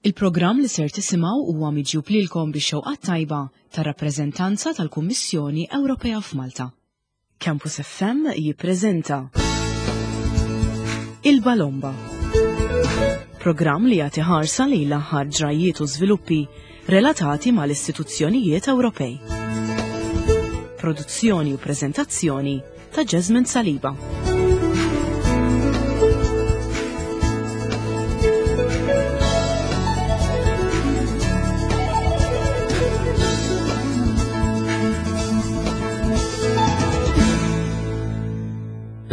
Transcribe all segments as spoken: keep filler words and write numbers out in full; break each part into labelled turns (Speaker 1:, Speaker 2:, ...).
Speaker 1: Il-programm li ser tisimgħu huwa miġjub lilkom bix-xewqa tajba tar-rappreżentanza tal-Kummissjoni Ewropea f'Malta. Campus F M jippreżenta Il-Balomba. Programm li jagħti ħarsa lejn l-aħħar ġrajiet u żviluppi relatati mal-istituzzjonijiet Ewropej. Produzzjoni u preżentazzjoni ta' Jasmine Saliba.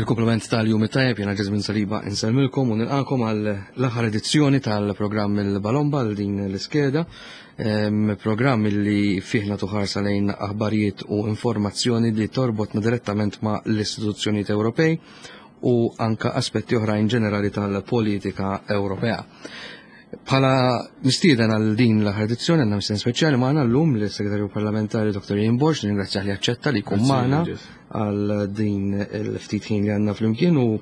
Speaker 2: Il-kumplament tal-jum it-tajjeb, jiena Jasmine Saliba insellmilkom u nilqakom għal l-aħħar edizzjoni tal-programm Il-Balomba għal din l-iskeda. Programm li fih nagħtu ħarsa lejn aħbarijiet u informazzjoni li torbotna direttament ma' l-istituzzjonijiet Ewropej u anka aspetti oħrajn ġenerali tal-politika Ewropea. Bħala mistieden għal din l-aħħar edizzjoni għandna mistieden speċjali magħna llum lis-Segretarju Parlamentari Doktor Ian Borg, ringrazzjah li aċċetta li jkun magħna għal din il-ftit ħin li għandna flimkien u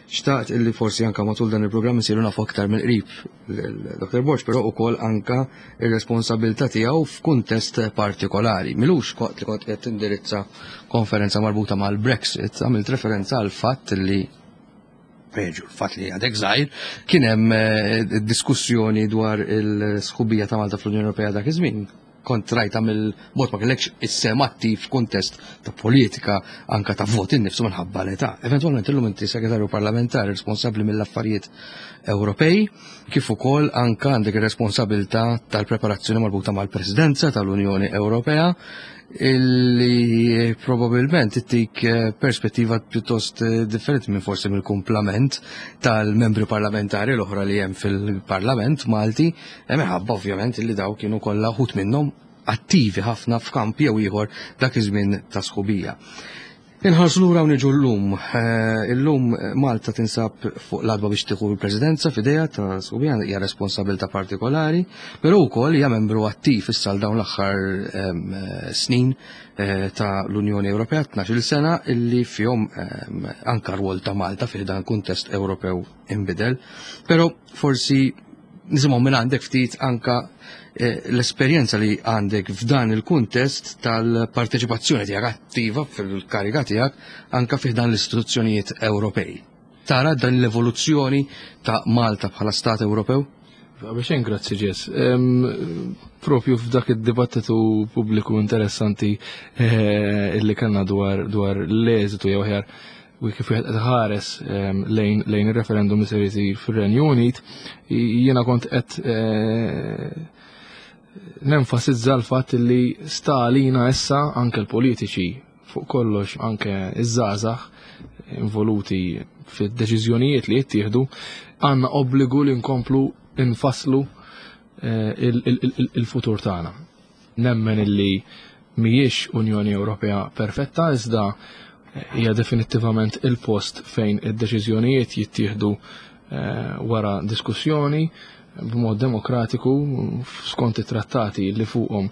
Speaker 2: xtaqt illi forsi anka matul dan il-programm nsiru nafu aktar mill-qrib lil Doktor Borg, però ukoll anka ir-responsabilità tiegħu f'kuntest partikolari. Milux kont li kont qed tindirizza konferenza marbuta mal-Brexit, għamilt referenza għal fatt li preġu l-fatt li għadek żgħir, kien hemm eh, diskussjoni dwar il-sħubija ta' Malta fl-Unjoni Ewropea dak iż-żmien. Kont rajta mill-bogħod, ma kellekx is-sehem attiv f'kuntest ta' politika anka ta' vot innifsu minħabba l-età. Eventwalment illum inti segretarju parlamentari responsabbli mill-affarijiet Ewropej, kif ukoll anka għandek ir-responsabilità tal-preparazzjoni marbuta mal-Presidenza tal-Unjoni Ewropea, illi probabilment ittik eh, perspettiva pjuttost eh, differenti minn forsi mill-kumplament tal-membri parlamentari l-oħra li hemm fil-Parlament Malti, eh, minħabba ovvjament illi daw kienu kollha wħud minnhom attivi ħafna f'kamp jew ieħor dak iż-żmien ta' sħubija. Inħarsu lura u niġu llum. Illum Malta tinsab fuq l-għatba biex tieħu l-Presidenza f'idejha ta' sħubija, hija responsabilità partikolari, però wkoll hija membru attiv issa għal dawn l-aħħar snin ta' l-Unjoni Ewropea, tnax-il sena illi fihom anka rwol ta' Malta fih dan kuntest Ewropew inbidel. Però forsi nisimgħu minn għandek ftit anka l-esperjenza li għandek f'dan il-kuntest tal-parteċipazzjoni tiegħek attiva fil-kariga tiegħek anka fih dan l-istituzzjonijiet Ewropej. Tara dan l-evoluzzjoni ta' Malta bħala Stat Ewropew?
Speaker 3: Biex grazzi Ġes. Propju f'dak id-dibattitu pubbliku interessanti illi kellna dwar dwar l-eżitu jew aħjar u kif wieħed qed ħares lejn lejn ir-referendum li ser isir fir-Renju Unit, jiena kont qed nenfasizza l-fatt li sta għalina issa anke l-politiċi fuq kollox, anke iż-żgħażagħ involuti fid-deċiżjonijiet li jittieħdu, għandna obbligu li nkomplu nfasslu il-futur tagħna. Nemmen illi mhijiex Unjoni Ewropea perfetta, iżda hija definittivament il-post fejn id-deċiżjonijiet jittieħdu wara diskussjoni b'mod demokratiku skont it-trattati li fuqhom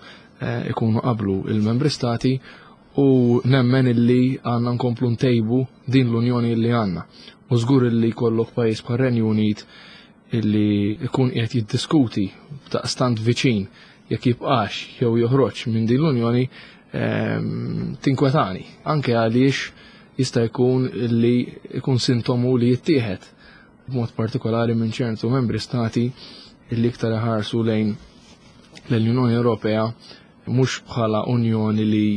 Speaker 3: ikunu qablu il-membri stati, u nemmen illi għandna nkomplu ntejbu din l-Unjoni illi għandna. U żgur illi jkollok pajjiż bħal Renju Unit illi ikun qiegħed jiddiskuti daqstant viċin jekk jibqax jew joħroġ minn din l-Unjoni, tinkwetani, anke għaliex jista' jkun li jkun sintomu li jittieħed b'mod partikolari minn ċertu membri stati illi iktar iħarsu lejn l-Unjoni Ewropea mhux bħala unjoni li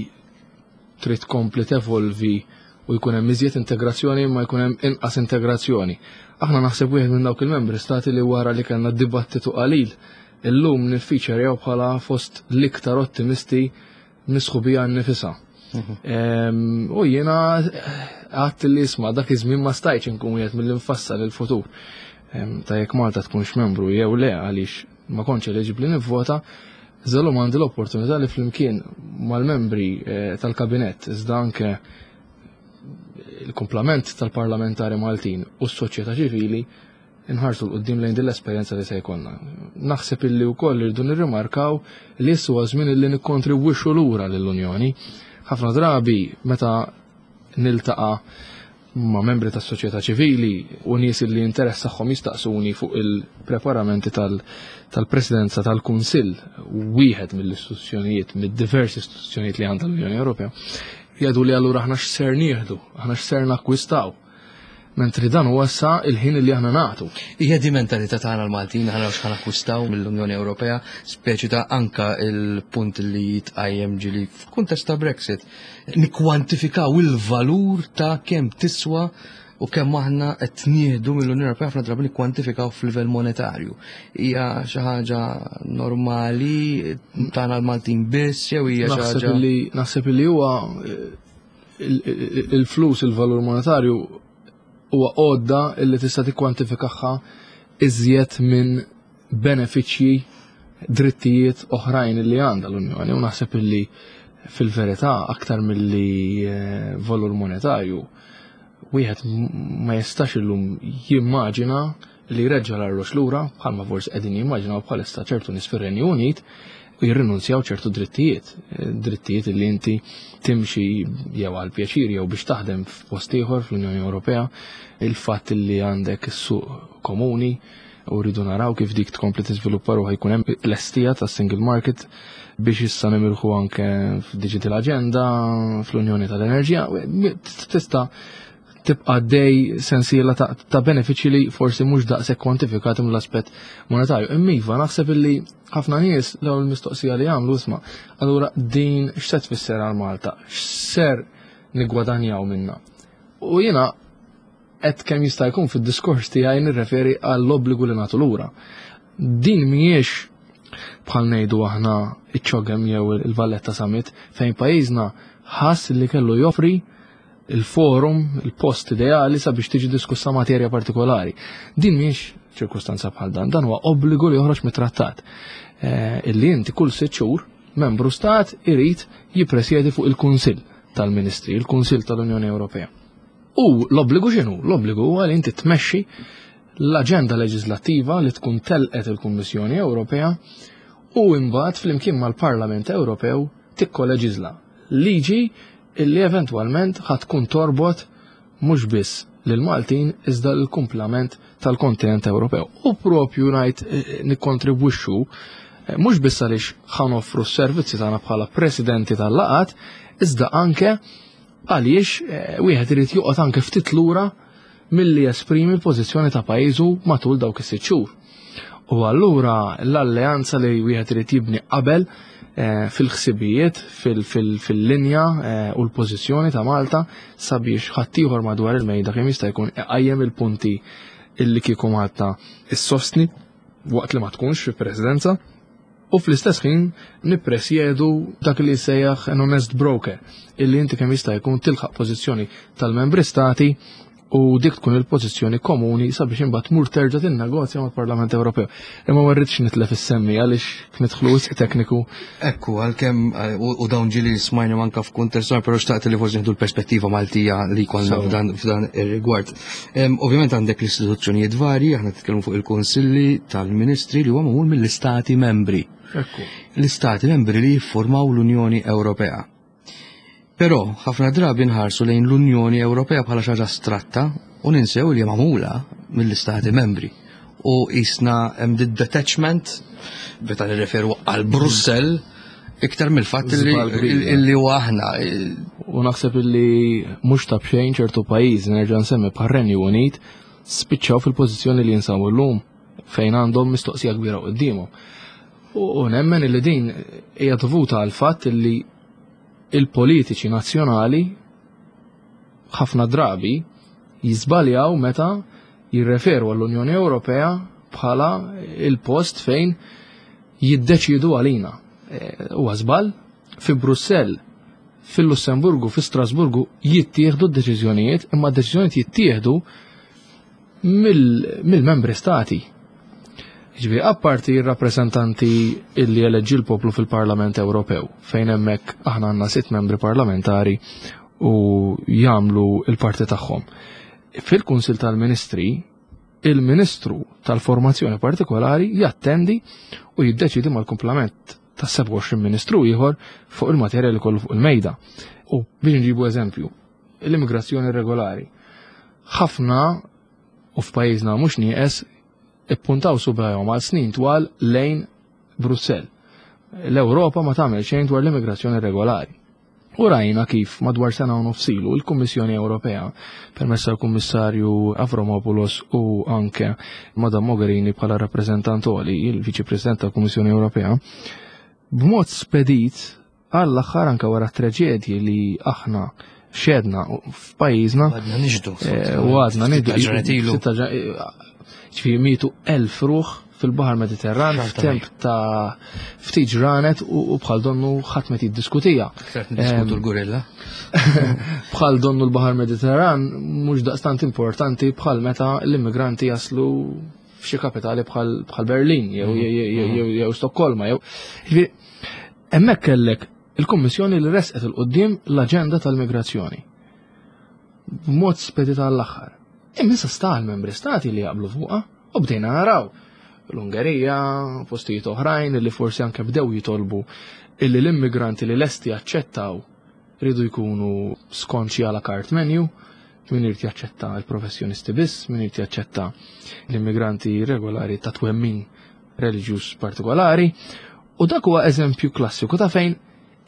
Speaker 3: trid tkompli tevolvi u jkun hemm iżjed integrazzjoni, ma jkun hemm inqas integrazzjoni. Aħna naħseb wieħed minn dawk il-membri stati li wara li kellna dibattitu qalil illum niffiċerjaw bħala fost l-iktar ottimisti misħubija nnifisha. U jiena għadt li isma' dak iż-żmien ma stajtx inkun wieħed mill-infassal il-futur ta' jekk Malta tkunx membru jew le, għaliex ma kontx eliġibbli nivvota. Iżda għandi l-opportunità li flimkien mal-membri tal-kabinett, iżda anke il-kumplament tal-parlamentari Maltin u s-soċjetà ċivili, inħarsu 'l quddiem lejn din l-esperjenza li se jkollna. Naħseb illi wkoll irridu nirrimarkaw li issa huwa żmien illi nikkontribwixxu lura lill-Unjoni. Ħafna drabi meta niltaqa' ma' membri tas-soċjetà ċivili u nies li interessahom jistaqsuni fuq il-preparamenti tal-Presidenza tal-Kunsill, wieħed mill-istituzzjonijiet, mid-diversi istituzzjonijiet li għandha l-Unjoni Ewropea, jgħidu li allura aħna x'ser nieħdu, aħna x'ser nakkwistaw. Mentri dan huwa issa il-ħin li aħna nagħtu.
Speaker 2: Hija di mentalità tagħna l-Maltin, aħna x'ħa nakkwistaw mill-Unjoni Ewropea, speċi ta' anka il-punt li jitqajjem ġili f'kuntest ta' Brexit. Nikkwantifikaw il-valur ta' kemm tiswa u kemm aħna qed nieħdu mill-Unjoni Ewropea, ħafna drabi nikkwantifikaw f'livell monetarju. Hija xi ħaġa normali tagħna l-Maltin biss jew hija xi ħaġa?
Speaker 3: Naħseb li huwa il-flus, il-valur monetarju huwa għodda illi tista' tikkwantifikaha iżjed minn benefiċċji, drittijiet oħrajn li għandha l-Unjoni, u naħseb illi fil-verità aktar milli valur monetarju wieħed ma jistax illum jimmaġina li jreġġa' l-arloġġ lura bħalma forsi qegħdin jimmaġinaw bħalissa ċertu nies fir-Renju Unit u jirrinunzjaw ċertu drittijiet, drittijiet li inti timxi jew għal pjaċir jew biex taħdem f'post ieħor fl-Unjoni Ewropea, il-fatt li għandek is-suq komuni u rridu naraw kif dik tkompli tiżviluppa ruħha, jkun hemm l-estija ta' single market biex issa nimirħu anke f'digital agenda, fl-Unjoni tal-Enerġija, tista' tibqa' dej sensiela ta', ta' benefiċċji li forsi mhux daqshekk kwantifikati mill-aspett monetarju. Imma iva, naħseb illi ħafna nies l-ewwel mistoqsija li jagħmlu isma' allura din x'se tfisser għal Malta, x'ser niggwadanjaw minnha. U jiena qed kemm jista' jkun fid-diskors tiegħi nirreferi għall-obbligu li nagħtu lura. Din mhijiex bħal ngħidu aħna iċ-CHOGM jew il-Valletta Summit fejn pajjiżna ħass li kellu joffri il-forum, il-post ideali sabiex tiġi diskussa materja partikolari. Din mhijiex ċirkustanza bħal dan, dan huwa obbligu li joħroġ mit-trattat. Illi inti kull sitt xhur membru stat irid jippresjedi fuq il-Kunsill tal-Ministri, il-Kunsill tal-Unjoni Ewropea. U l-obbligu x'inhu? L-obbligu huwa li inti tmexxi l-aġenda leġislattiva li tkun telqet il-Kummissjoni Ewropea u imbagħad flimkien mal-Parlament Ewropew tikkoleġiżla liġi illi eventwalment ħa tkun torbot mhux biss lil Maltin iżda l-kumplament tal-kontinent Ewropew. U propju ngħid nikkontribwixxu mhux biss għaliex ħa noffru s-servizzi tagħna bħala presidenti tal-laqat, iżda anke għaliex wieħed irid joqgħod anke ftit lura milli jesprimi l-pożizzjoni ta' pajjiżu matul dawk is-sitt xhur. U allura l-alleanza li wieħed irid jibni qabel fil-ħsibijiet, fil-linja u l-pożizzjoni ta' Malta sabiex ħaddieħor madwar il-mejda kemm jista' jkun iqajjem il-punti illi kieku Malta issostni waqt li ma tkunx fi presidenza, u fl-istess ħin nippresjedu dak li jsejjaħ an honest broker, illi inti kemm jista' jkun tilħaq pożizzjoni tal-membri stati u dik tkun il-pożizzjoni komuni sabiex imbagħad tmur terġa' tinnegozja mal-Parlament Ewropew. Imma ma rridx nitlef is-semmi għaliex nidħlu wisq tekniku.
Speaker 2: Ekku, għalkemm u dawn ġieli smajna anke f'kuntest, però xtaqt li forsi nieħdu l-perspettiva Maltija li jkollna f'dan f'dan ir-rigward. Ovvjament għandek l-istituzzjonijiet varji, aħna nitkellmu fuq il-Kunsilli tal-Ministri li huwa magħmul mill-Istati membri.
Speaker 3: Ekku.
Speaker 2: L-Istati membri li jiffurmaw l-Unjoni Ewropea. Però ħafna drabi nħarsu lejn l-Unjoni Ewropea bħala xi ħaġa astratta u ninsew li magħmula mill-Istati membri. U jisna hemm detachment meta nirreferu għal Brussell iktar mill-fatt li huwa aħna.
Speaker 3: U naħseb li mhux ta' b'xejn ċertu pajjiżi, nerġa' nsemmi bħar-Renju Unit, spiċċaw fil-pożizzjoni li jinsabu llum fejn għandhom mistoqsija kbira qudiemhom. U nemmen li din hija dovuta għal fatt li il-politiċi nazzjonali ħafna drabi jiżbaljaw meta jirreferu għall-Unjoni Ewropea bħala il-post fejn jiddeċidu għalina. Huwa żball, fi Brussell, fil-Lussemburgu, fi Strasburgu jittieħdu d-deċiżjonijiet, imma d-deċiżjonijiet jittieħdu mill-membri stati. Ġifieri, apparti r-rappreżentanti illi eleġġi l-poplu fil-Parlament Ewropew, fejn hemmhekk aħna għandna sitt membri parlamentari u jagħmlu l-parti tagħhom. Fil-Kunsill tal-Ministri, il-Ministru tal-Formazzjoni partikolari jattendi u jiddeċidi mal-kumplament ta' sebgħa u għoxrin ministru ieħor fuq il-materja li kollu fuq il-mejda. U biex nġibu eżempju, l-immigrazzjoni regolari. Ħafna u f'pajjiżna mhux nieqes ippuntaw subgħajhom għal snin twal lejn Brussell. L-Ewropa ma tagħmel xejn dwar l-immigrazzjoni regolari. U rajna kif madwar sena u nofs ilu l-Kummissjoni Ewropea permezz tal-Kummissarju Avramopoulos u anke Madam Mogherini bħala rappreżentant għoli, il-Viċi President tal-Kummissjoni Ewropea, b'mod spedit għall-aħħar anke wara traġedji li aħna xedna f'pajjiżna.
Speaker 2: Għadna nixhdu.
Speaker 3: Eh, u għadna nixhdu.
Speaker 2: Sitta ġranet ilu.
Speaker 3: Sitta ġra- ġifieri mietu elf ruħ fil-Baħar Mediterran
Speaker 2: Xorta
Speaker 3: f'temp ta' ftit ġranet u u bħal donnu ħadd ma jiddiskutija.
Speaker 2: Aktar niddiskutu l-gorilla.
Speaker 3: Bħal donnu l-Baħar Mediterran mhux daqstant importanti bħal meta l-immigranti jaslu f'xi kapitali bħal bħal Berlin jew jew jew jew Stokkolma jew. Ġifieri, hemmhekk kellek il-Kummissjoni li resqet 'il quddiem l-aġenda tal-migrazzjoni. B'mod spedita għall-aħħar. Imma issa sta l-membri stati li jaqblu fuqha u bdejna naraw l-Ungerija, postijiet oħrajn li forsi anke bdew jitolbu illi l-immigranti li lesti jaċċettaw ridu jkunu skont xi à la carte menu, min irid jaċċetta l-professjonisti biss, min irid jaċċetta l-immigranti regolari ta' twemmin reliġjuż partikolari. U dak huwa eżempju klassiku ta' fejn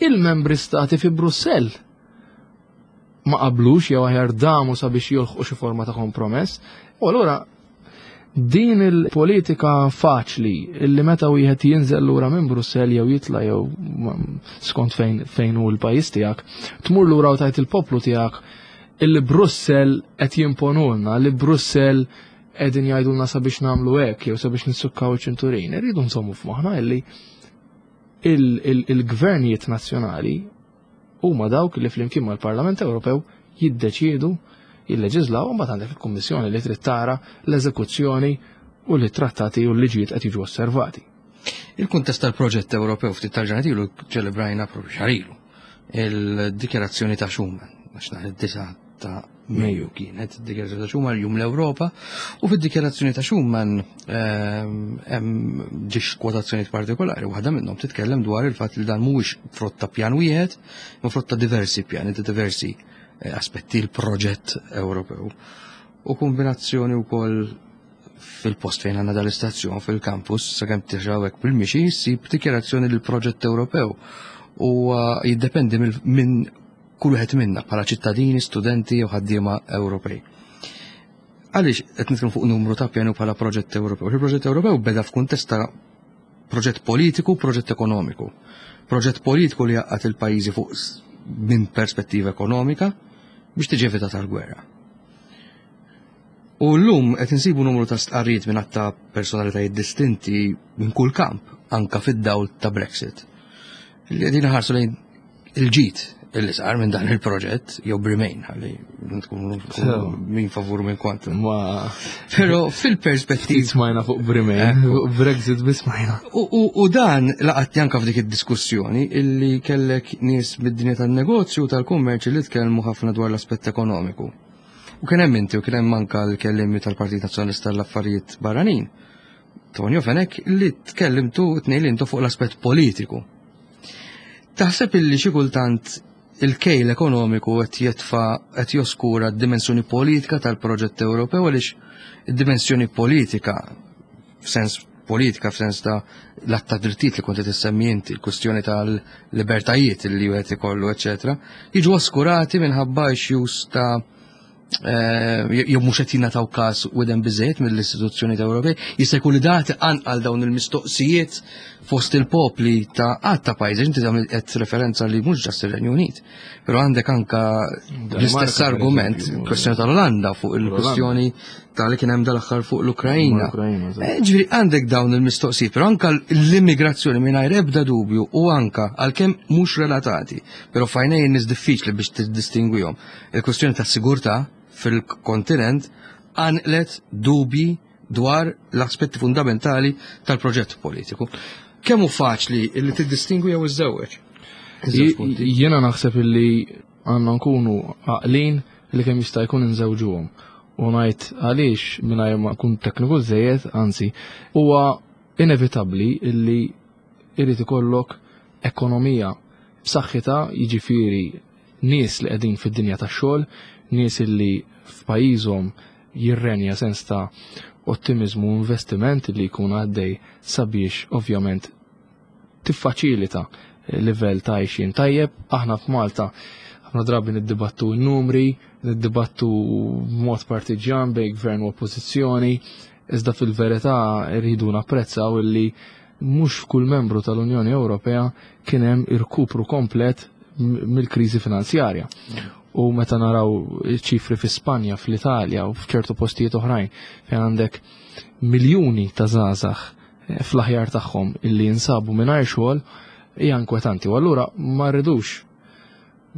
Speaker 3: il-membri stati fi Brussell ma qablux jew aħjar damu sabiex jolħqu xi forma ta' kompromess. U allura din il-politika faċli illi meta wieħed jinżel lura minn Brussell jew jitla jew skont fejn fejn hu l-pajjiż tiegħek, tmur lura u tajt il-poplu tiegħek illi Brussell qed jimponulna, li Brussell qegħdin jgħidulna sabiex nagħmlu hekk jew sabiex nissukkaw iċ-ċinturin. Irridu nżommu f'moħħna illi il-gvernijiet nazzjonali huma dawk li flimkien mal-Parlament Ewropew jiddeċiedu jilleġislaw u mbagħad għandek il-Kummissjoni li trid tara l-eżekuzzjoni u li trattati u l-liġijiet qed jiġu osservati.
Speaker 2: Il-kuntest tal-proġett Ewropew ftit tal-ġranet ilu ċelebrajna propju xahar ilu il-dikjarazzjoni ta' Schuman, għax nhar id-disgħa ta' Mejju kienet id-dikjarazzjoni ta' Schuman jum l-Ewropa, u fid-dikjarazzjoni ta' Schuman ehm, hemm ġiex kwotazzjonijiet partikolari, waħda minnhom titkellem dwar il-fatt li dan mhuwiex frott ta' pjan wieħed, ma frott ta' diversi pjani, ta' diversi eh, aspetti l-proġett Ewropew. U kombinazzjoni wkoll fil-post fejn għandna dal-istazzjon fil-campus, sakemm tiġi bil-mixi, ssib dikjarazzjoni l proġett Ewropew. U uh, jiddependi minn kull wieħed minna bħala ċittadini, studenti u ħaddiema Ewropej. Għaliex qed nitkellmu fuq numru ta' pjanu bħala proġett Ewropew? Il-proġett Ewropew beda f'kuntest ta' proġett politiku, proġett ekonomiku. Proġett politiku li jgħaqqad il-pajjiżi fuq minn perspettiva ekonomika biex tiġi evitata l-gwerra. U llum qed insibu numru ta' stqarrijiet minn ta' personalitajiet distinti minn kull kamp, anka fid-dawl ta' Brexit. Li qegħdin ħarsu lejn il-ġid illi sar minn dan il-proġett, jew Bremain, ħalli nkunu min favur minn kontra.
Speaker 3: Ma
Speaker 2: Però fil-perspettiva.
Speaker 3: Smajna fuq Bremain, fuq Brexit biss smajna.
Speaker 2: U dan laqatni anka f'dik id-diskussjoni illi kellek nies mid-dinja tan-negozju tal-kummerċ li tkellmu ħafna dwar l-aspett ekonomiku. U kien hemm inti u kien hemm anka l-kellimi tal-Partit Nazzjonalista tal-Affarijiet Barranin, Tonio Fenech, li tkellimtu tnejn li intu fuq l-aspett politiku. Taħseb illi xi kultant il-kejl ekonomiku qed jitfa' qed joskura d-dimensjoni politika tal-proġett Ewropew għaliex id-dimensjoni politika f'sens politika f'sens ta' l-att ta' drittijiet li kont qed issemmi inti, il-kwestjoni tal-libertajiet li wieħed ikollu, eċetera, jiġu oskurati minħabba issues ta' eh, jew mhux qed jingħataw każ widen biżejjed mill-istituzzjonijiet Ewropej, jista' jkun li dati anqal dawn il-mistoqsijiet fost il-popli ta' għadd ta' pajjiżi, inti tagħmel qed referenza li mhux ġast ir-Renju Unit, però għandek anka l-istess argument, kwestjoni tal-Olanda fuq il-kwestjoni tal-li kien hemm dal-aħħar fuq l-Ukrajna. Eh, ġifieri għandek dawn il-mistoqsijiet, però anka l-immigrazzjoni mingħajr ebda dubju u anka għalkemm mhux relatati, però f'għajnejn in-nies diffiċli biex tiddistingwihom. Il-kwestjoni tas-sigurtà fil-kontinent għanqlet dubji dwar l-aspetti fundamentali tal-proġett politiku. Kemm hu faċli li tiddistingwi jew iżżewweġ?
Speaker 3: Jiena naħseb illi għandna nkunu għaqlin li kemm jista' jkun inżewġuhom. U ngħid għaliex mingħajr ma nkun tekniku żejjed, anzi, huwa inevitabbli illi irid ikollok ekonomija b'saħħitha, jiġifieri Nies li qegħdin fid-dinja tax-xogħol, nies li f'pajjiżhom jirrenja sens ta' ottimizmu u investiment li jkun għaddej sabiex ovvjament tiffaċilita livell ta' għajxien tajjeb. Aħna f'Malta ħafna drabi niddibattu n-numri, niddibattu b'mod partiġjan bejn gvern u oppożizzjoni, iżda fil-verità rridu napprezzaw illi mhux f'kull membru tal-Unjoni Ewropea kien hemm irkupru komplet mill-kriżi finanzjarja. U meta naraw ċifri fi Spanja, fl-Italja u f'ċertu postijiet oħrajn fejn għandek miljuni ta' żgħażagħ eh, fl-aħjar tagħhom illi jinsabu mingħajr xogħol, hija inkwetanti. U allura ma rridux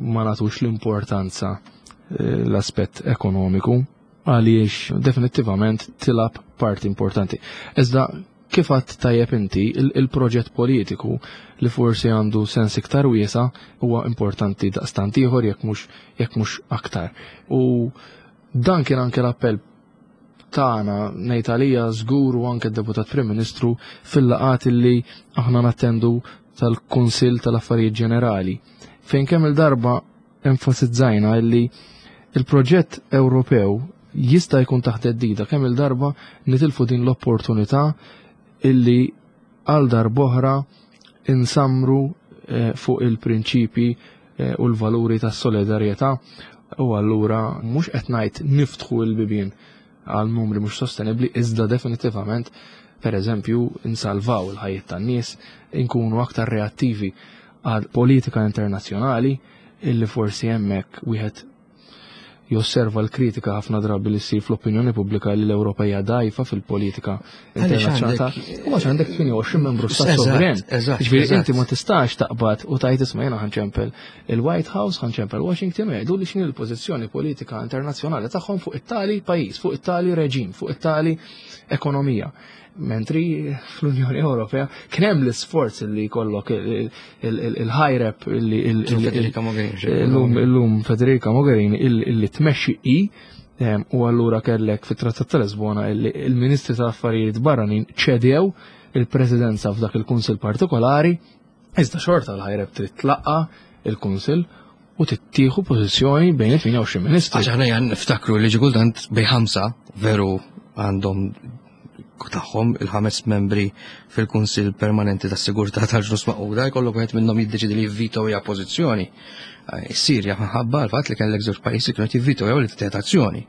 Speaker 3: ma nagħtux l-importanza eh, l-aspett ekonomiku, għaliex definittivament tilgħab parti importanti. Iżda kif għedt tajjeb inti, il-proġett politiku li forsi għandu sens iktar wiesa huwa importanti daqstant ieħor, jekk mhux jekk mhux aktar. U dan kien anke l-appell tagħna, ngħid għalija żgur u anke d-Deputat Prim Ministru, fil-laqgħat li aħna nattendu tal-Kunsill tal-Affarijiet Ġenerali, fejn kemm il-darba enfasizzajna illi il-proġett Ewropew jista' jkun taħt theddida kemm il-darba nitilfu din l-opportunità illi għal darb'oħra insamru eh, fuq il-prinċipi eh, u l-valuri tas solidarjetà. U allura mhux qed ngħid niftħu l-bibien għal numri mhux sostenibbli, iżda definitivament, per eżempju, insalvaw il-ħajjiet tan-nies, inkunu aktar reattivi għal politika internazzjonali illi forsi hemmhekk wieħed josserva l-kritika ħafna drabi li ssir fl-opinjoni pubblika li l-Ewropa hija dgħajfa fil-politika internazzjonali. U għax għandek tmienja u għoxrin membru stat sovran. Ġifieri inti ma tistax taqbad u tgħid, "Isma', jiena ħa nċempel il-White House, ħa nċempel Washington u jgħidu li x'inhi l-pożizzjoni politika internazzjonali tagħhom fuq it-tali pajjiż, fuq it-tali reġim, fuq it-tali ekonomija." Mentri fl-Unjoni Ewropea kien hemm l-isforz li jkollok il-high rep illum Federica Mogherini illi tmexxi i u allura kellek fit-Trattat ta' Lisbona il-Ministri tal-Affarijiet Barranin ċedew il-Presidenza f'dak il-Kunsill partikolari, iżda xorta l-high rep trid tlaqqa il-Kunsill u tittieħu pożizzjoni bejn it-tmienja u għoxrin ministri.
Speaker 2: Għax aħna jan niftakru li kultant bejn ħamsa veru għandhom tagħhom il-ħames membri fil-Kunsill Permanenti tas-Sigurtà tal-Ġnus Magħquda, jkollok wieħed minnhom jiddeċidi li jivvito hija pożizzjoni. Is-Sirja ħabba l-fatt li kellek żewġ pajjiżi kienu jivvito jew li tittieħed azzjoni.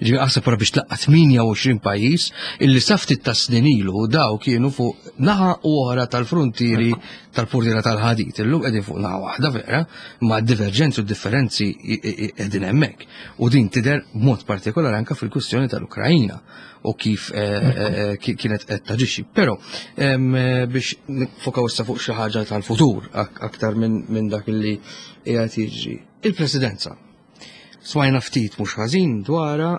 Speaker 2: Ġifieri aħseb wara biex tlaqqa tmienja u għoxrin pajjiż illi sa ftit ta' snin ilu daw kienu fuq naħa u oħra tal-frontieri tal-purtiera tal-ħadid. Illum qegħdin fuq naħa waħda vera, ma divergenzi u differenzi qegħdin hemmhekk. U din tidher b'mod partikolari anke fil-kwistjoni tal-Ukrajina u kif eh, eh, eh, kienet qed taġixxi. Però biex nifokaw issa fuq xi ħaġa tal-futur aktar minn dak li qiegħed jiġri. Il-Presidenza. Smajna ftit mhux ħażin dwarha,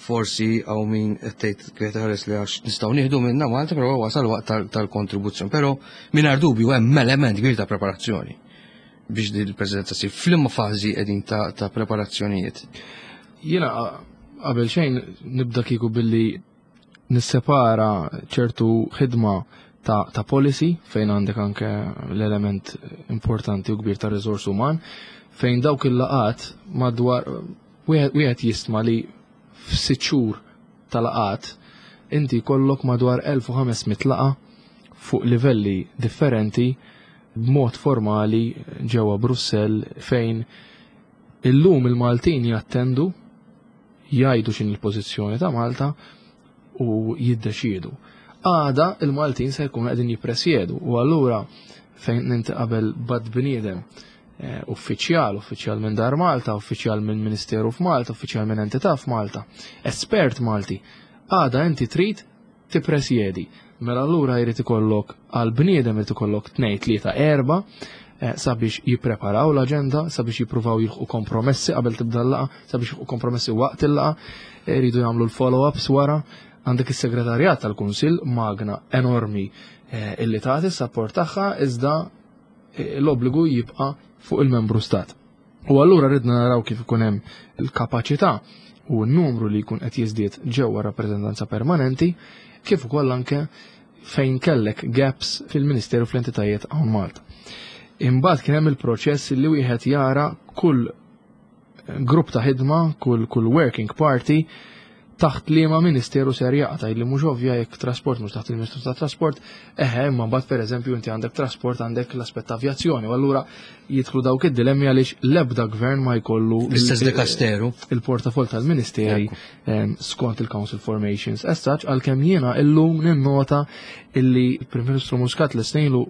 Speaker 2: forsi hawn min qed tgħid ħares li għax nistgħu nieħdu minna Malta, però wasal waqt tal-kontribuzzjoni. Però mingħajr dubju hemm element kbir ta' preparazzjoni biex din il-presidenza sir. F'liema fażi qegħdin ta' preparazzjonijiet?
Speaker 3: Jiena qabel xejn nibda kieku billi nissepara ċertu ħidma ta', ta policy, fejn għandek anke l-element importanti u kbir ta' riżors uman, fejn dawk il-laqat madwar wieħed jistma li f'sitt xhur ta' laqat inti kollok madwar elf u ħames mitt laqa fuq livelli differenti b'mod formali ġewwa Brussell, fejn illum il-Maltin jattendu, jgħidu x'inhi l-pożizzjoni ta' Malta u jiddeċiedu. Għada il-Maltin se jkunu qegħdin jippresjedu u allura fejn inti qabel bad bniedem eh, uffiċjal, uffiċjal minn Dar Malta, uffiċjal minn Ministeru f'Malta, uffiċjal minn entità f'Malta, espert Malti, għada inti trid tippresjedi. Mela allura jrid ikollok għal bniedem jrid ikollok tnejn, tlieta, erba' eh, sabiex jippreparaw l-aġenda, sabiex jippruvaw jilħqu kompromessi qabel tibda l-laqa, sabiex jilħqu kompromessi waqt il-laqa, jridu jagħmlu l-follow-ups wara. Għandek is-segretarjat tal-Kunsill, magna enormi eh, illi tagħti s-support tagħha, iżda eh, l-obbligu jibqa' fuq il-membru stat. U allura ridna naraw kif ikun hemm il-kapaċità u n-numru li jkun qed jiżdied ġewwa rappreżentanza permanenti, kif ukoll anke fejn kellek gaps fil-Ministeru, fl-entitajiet hawn Malta. Imbagħad kien hemm il-proċess li wieħed jara kull grupp ta' ħidma, kull kull working party taħt liema ministeru ser jaqa', li mhux ovvja jekk trasport mhux taħt il-Ministru ta' Trasport, eħe, imma mbagħad, pereżempju, inti għandek trasport, għandek l-aspett ta' avjazzjoni, u allura jidħlu dawk id-dilemmi għaliex l-ebda gvern ma jkollu
Speaker 2: l-istess dikasteru.
Speaker 3: Il-portafol tal-ministeri skont il-Council Formations. As such, għalkemm jiena illum ninnota illi il-Prim Ministru Muscat l-istejlu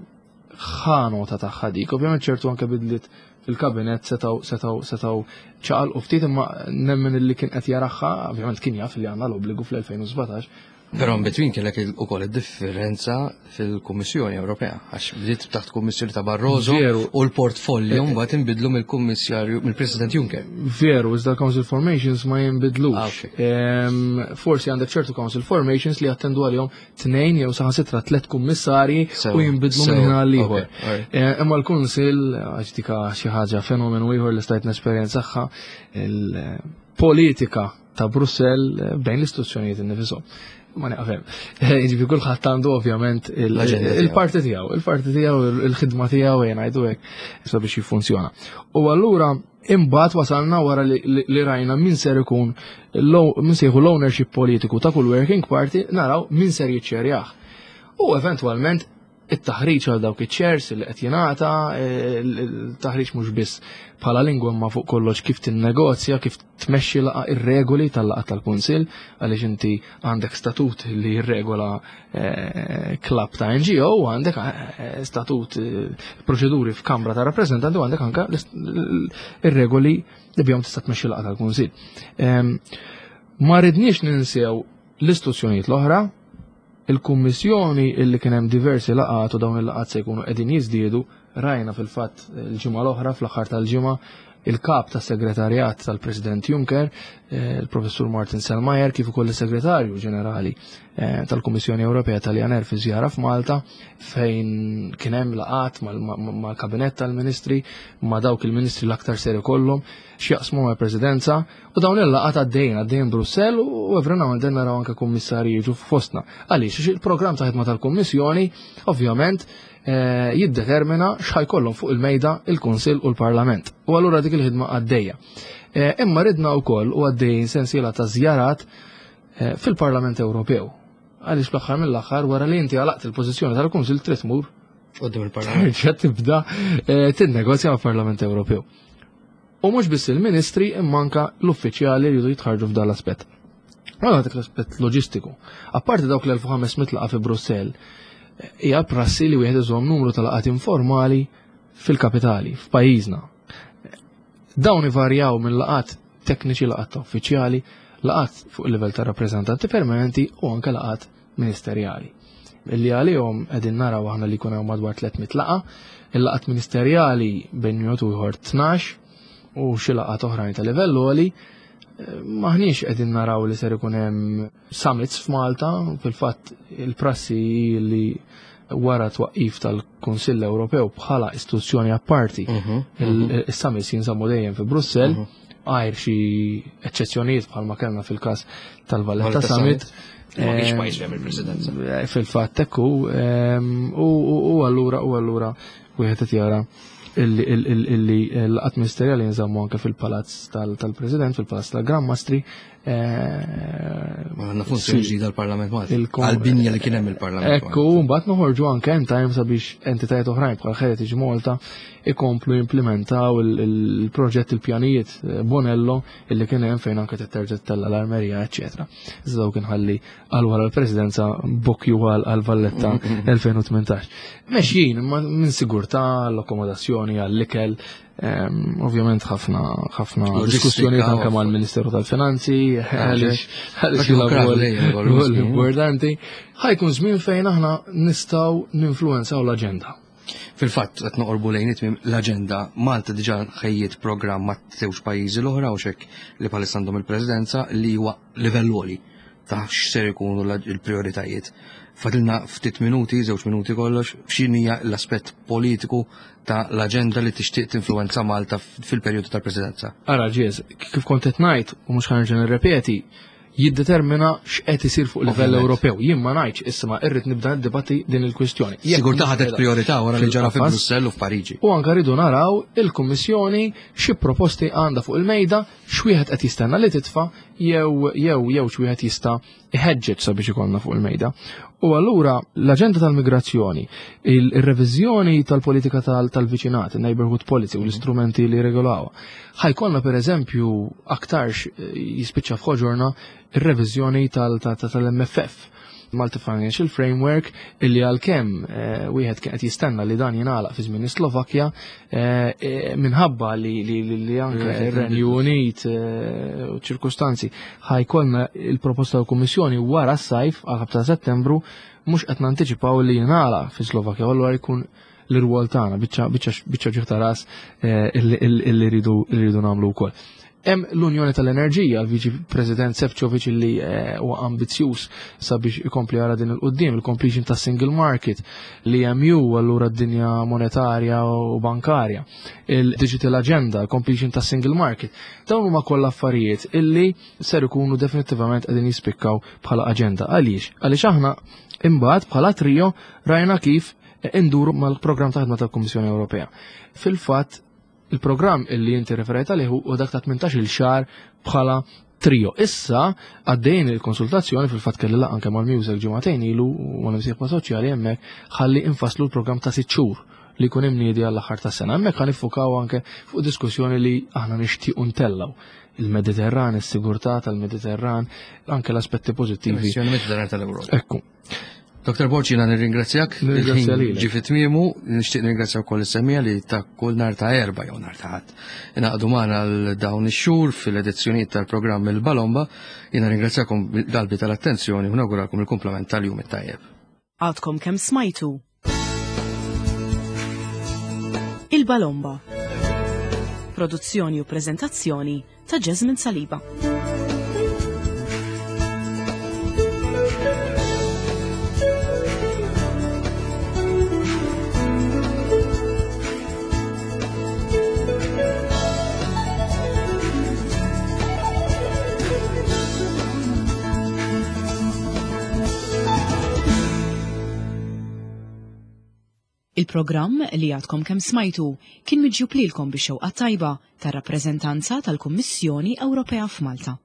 Speaker 3: ħa nota tagħha dik, ovvjament ċertu anke bidliet fil-kabinet setaw setaw setaw ċaqal u ftit, imma nemmen illi kien qed jaraha, ovvjament kien jaf li għandna l-obbligu fl-elfejn u sbatax.
Speaker 2: Però in between kellek ukoll id-differenza fil-Kummissjoni Ewropea, għax bdiet taħt Kummissjoni ta' Barroso
Speaker 3: Veru.
Speaker 2: u l-portfolio mbagħad inbidlu mill-Kummissarju, mill-President Juncker.
Speaker 3: Veru, iżda Council Formations ma jinbidlux.
Speaker 2: Ah, ok.
Speaker 3: Em, Forsi għandek ċertu Council Formations li jattendu għalihom tnejn jew saħansitra tliet kummissarji
Speaker 2: Sew,
Speaker 3: u jinbidlu
Speaker 2: sew,
Speaker 3: minn ħin għal ieħor.
Speaker 2: Ok, alright.
Speaker 3: Eh, Imma l-Kunsill, għax dika xi ħaġa fenomenu ieħor li stajt nesperjenzaha, il-politika ta' Brussell eh, bejn l-istituzzjonijiet innifisom. Ma naqfem. Jiġifieri kulħadd għandu ovvjament il-
Speaker 2: l-aġenda tiegħu.
Speaker 3: Il-parti tiegħu, il-parti tiegħu, il-ħidma tiegħu, jien ngħidu hekk, sabiex jiffunzjona. U allura imbagħad wasalna wara li, li, li rajna min ser ikun l- min se jieħu l-ownership politiku ta' kull working party, naraw min ser jiċċerjah. U eventwalment it-taħriġ għal dawk iċ-chairs li qed jingħata, il-taħriġ mhux biss bħala lingwa ma fuq kollox kif tinnegozja, kif tmexxi laqgħa, ir-regoli tal-laqgħa tal-Kunsill, għaliex inti għandek statut li jirregola eh, club ta' N G O, u għandek eh, statut, eh, proċeduri f'Kamra ta' Rappreżentanti, u għandek anka l- l- ir-regoli li bihom tista' tmexxi laqgħa tal-Kunsill. Em, Ma ridniex ninsew l-istituzzjonijiet l-oħra, il-Kummissjoni illi kien hemm diversi laqgħat u dawn il-laqgħat se jkunu qegħdin jiżdiedu. Rajna fil-fatt il-ġimgħa l-oħra, fl-aħħar tal-ġimgħa, il-kap tas segretarjat tal-President Juncker, eh, il-Professur Martin Selmayr, kif ukoll is-Segretarju Ġenerali eh, tal-Kummissjoni Ewropea Taljaner fi żjara f'Malta, fejn kien hemm laqgħat mal-kabinett tal-Ministri, ma' dawk il-Ministri l-aktar ser ikollhom x'jaqsmu mal-Presidenza, u dawn il-laqgħat għaddejjin għaddejjin Brussell u every now and then naraw anke kummissarji jiġu fostna. Għaliex? Għax il-programm ta' ħidma tal-Kummissjoni ovvjament eh, jiddetermina x'ħajkollhom fuq il-mejda il-Kunsill u l-Parlament. U allura dik il-ħidma għaddejja. Eh, Imma ridna wkoll u għaddejjin sensiela ta' żjarat eh, fil-Parlament Ewropew. Għaliex fl-aħħar mill-aħħar, wara li inti għalaqt il-pożizzjoni tal-Kunsill, trid tmur
Speaker 2: quddiem il-Parlament.
Speaker 3: terġa' tibda eh, tinnegozja mal-Parlament Ewropew. U mhux biss il-ministri imma anka l-uffiċjali jridu jitħarġu f'dan l-aspett. Għala dak l-aspett loġistiku. Apparti dawk l-elf u ħames mitt laqgħa fi Brussell, hija prassi li wieħed iżomm numru ta' laqgħat informali fil-kapitali, f'pajjiżna. Dawn ivarjaw minn laqgħat tekniċi, laqgħat ta' uffiċjali, laqgħat fuq il-livell ta' rappreżentanti permanenti u anke laqgħat ministerjali. Illi għalihom qegħdin naraw aħna li jkun hawn madwar tliet mitt laqgħa, il-laqgħat ministerjali bejn wieħed u ieħor tnax u xi laqgħat oħrajn ta' livell għoli. Maħniex qegħdin naraw li ser ikun hemm summits f'Malta, fil-fatt il-prassi li wara twaqqif tal-Kunsill Ewropew bħala istituzzjoni apparti,
Speaker 2: Mhm,
Speaker 3: il-summits jinżammu dejjem fi Brussell, għajr xi eċċezzjonijiet bħalma kellna fil-każ tal-Valletta
Speaker 2: Valletta
Speaker 3: Summit.
Speaker 2: Ma kienx
Speaker 3: Eh,
Speaker 2: pajjiż fejn il-Presidenza.
Speaker 3: Eh, Fil-fatt ekku, ehm, u u- u allura u allura wieħed qed jara illi illi- illi l-laqgħat ministerjali jinżammu anke fil-palazz tal- tal-President, fil-palazz tal-Gran Mastri. eh,
Speaker 2: Ma għandna funzjoni ġdida l-Parlament Malti.
Speaker 3: Il-kom-
Speaker 2: Għal-binja li kien hemm il-Parlament
Speaker 3: Ekku,
Speaker 2: Malti.
Speaker 3: mbagħad noħorġu anke in time sabiex entitajiet oħrajn bħal Heritage Malta ikomplu jimplementaw il- il-proġett, il-pjanijiet eh, Bonello illi kien hemm fejn anke terġa' tella l-armerija, eċetera. Iżda dawk inħalli għal wara l-Presidenza, bokju għal għal Valletta elfejn u tmintax. Mexjin imma minn sigurtà, l-akkomodazzjoni, għall-ikel, ehm, ovvjament ħafna ħafna
Speaker 2: Loġistika,
Speaker 3: diskussjonijiet anke
Speaker 2: u-
Speaker 3: mal-Ministeru tal-Finanzi għaliex għaliex
Speaker 2: Dak
Speaker 3: jilagħbu
Speaker 2: il-krav lejja,
Speaker 3: rwol
Speaker 2: rwol
Speaker 3: importanti. Ħajkun żmien fejn aħna nistgħu ninfluwenzaw l-aġenda.
Speaker 2: Fil-fatt, qed noqorbu lejn it-tmiem l-aġenda. Malta diġà ħejjiet programm ma' żewġ pajjiżi l-oħra u xek li bħalissa għandhom il-Presidenza, li huwa livell għoli ta' x'ser ikunu l- il-prioritajiet. Fadilna ftit minuti, żewġ minuti kollox, x'inhija l-aspett politiku ta' l-aġenda li tixtieq tinfluwenza Malta fil-perjodu tal-Presidenza?
Speaker 3: Ara ġiez, kif kont qed ngħid u mhux ħa nerġa' nirrepeti, jiddetermina x'qed isir fuq livell Ewropew. Jien ma ngħidx issa irrid nibda niddibatti din il-kwistjoni.
Speaker 2: Sigurtà ħadet priorità wara li ġara fi Brussell u f'Pariġi.
Speaker 3: U anke rridu naraw il-Kummissjoni xi proposti għandha fuq il-mejda, x'wieħed qed jistenna li titfa' jew jew jew x'wieħed jista' iħeġġeġ sabiex ikollna fuq il-mejda. U allura l-aġenda tal-migrazzjoni, il-reviżjoni tal-politika tal-viċinat, il-neighborhood policy u l-istrumenti li regolaw. Ħajkollna per eżempju aktarx jispiċċa f'ħoġorna ir-reviżjoni tal-M F F, Multi Financial Framework, illi għalkemm eh, wieħed kien qed jistenna li dan jingħalaq fi żmien Slovakkja, eh, eh, minħabba li li li anke ir-Renju Unit u ċirkustanzi ħa jkollna il-proposta tal-Kummissjoni wara s-sajf għal ta' Settembru, mhux qed nantiċipaw li jingħalaq fi Slovakkja, u allura jkun l-irwol tagħna biċċa biċċa ta' ras illi rridu nagħmlu wkoll. Hemm l-Unjoni tal-Enerġija, l-Viċi President Sefcovic li eh, huwa ambizzjuż sabiex ikompli għara din il-qudiem, il-completion ta' single market, l-E M U, allura d-dinja monetarja u bankarja, il-Digital Agenda, completion ta' single market. Dawn huma kollha affarijiet illi ser ikunu definitivament qegħdin jispikkaw bħala aġenda. Għaliex? Għaliex aħna imbagħad bħala trio rajna kif induru mal-programm ta' ħidma tal-Kummissjoni Ewropea. Fil-fatt, il-programm illi inti referejt għalih u dak ta' tmintax-il xahar bħala trio. Issa għaddejn il-konsultazzjoni, fil-fatt kelli anke mal-MEUSAC ġimagħtejn ilu u mal-imsieħba soċjali hemmhekk, ħalli infaslu l-programm ta' sitt xhur li jkun imniedi għall-aħħar tas-sena. Hemmhekk ħa niffukaw anke fuq diskussjoni li aħna nixtiequ ntellgħu il-Mediterran, is-sigurtà tal-Mediterran, anke l-aspetti pożittivi.
Speaker 2: Mediterran tal-Ewropa.
Speaker 3: Ekku.
Speaker 2: Doktor Borg, jiena nirringrazzjak.
Speaker 3: Nirringrazzja lilek.
Speaker 2: Ġie fi tmiemu, nixtieq nirringrazzja wkoll is-semmiegħa li ta' kull nhar ta' Erbgħa jew nhar ta' Ħadd ingħaqdu magħna għal dawn ix-xhur fil-edizzjonijiet tal-programm Il-Balomba. Jiena ringrazzjakom qalbi tal-attenzjoni u nawguralkom il-kumplament tal-jum it-tajjeb.
Speaker 1: Għadkom kemm smajtu Il-Balomba. Produzzjoni u prezentazzjoni ta' Jasmine Saliba. Il-programm li għadkom kemm smajtu kien miġjub lilkom bix-xewqa tajba tar-rappreżentanza tal-Kummissjoni Ewropea f'Malta.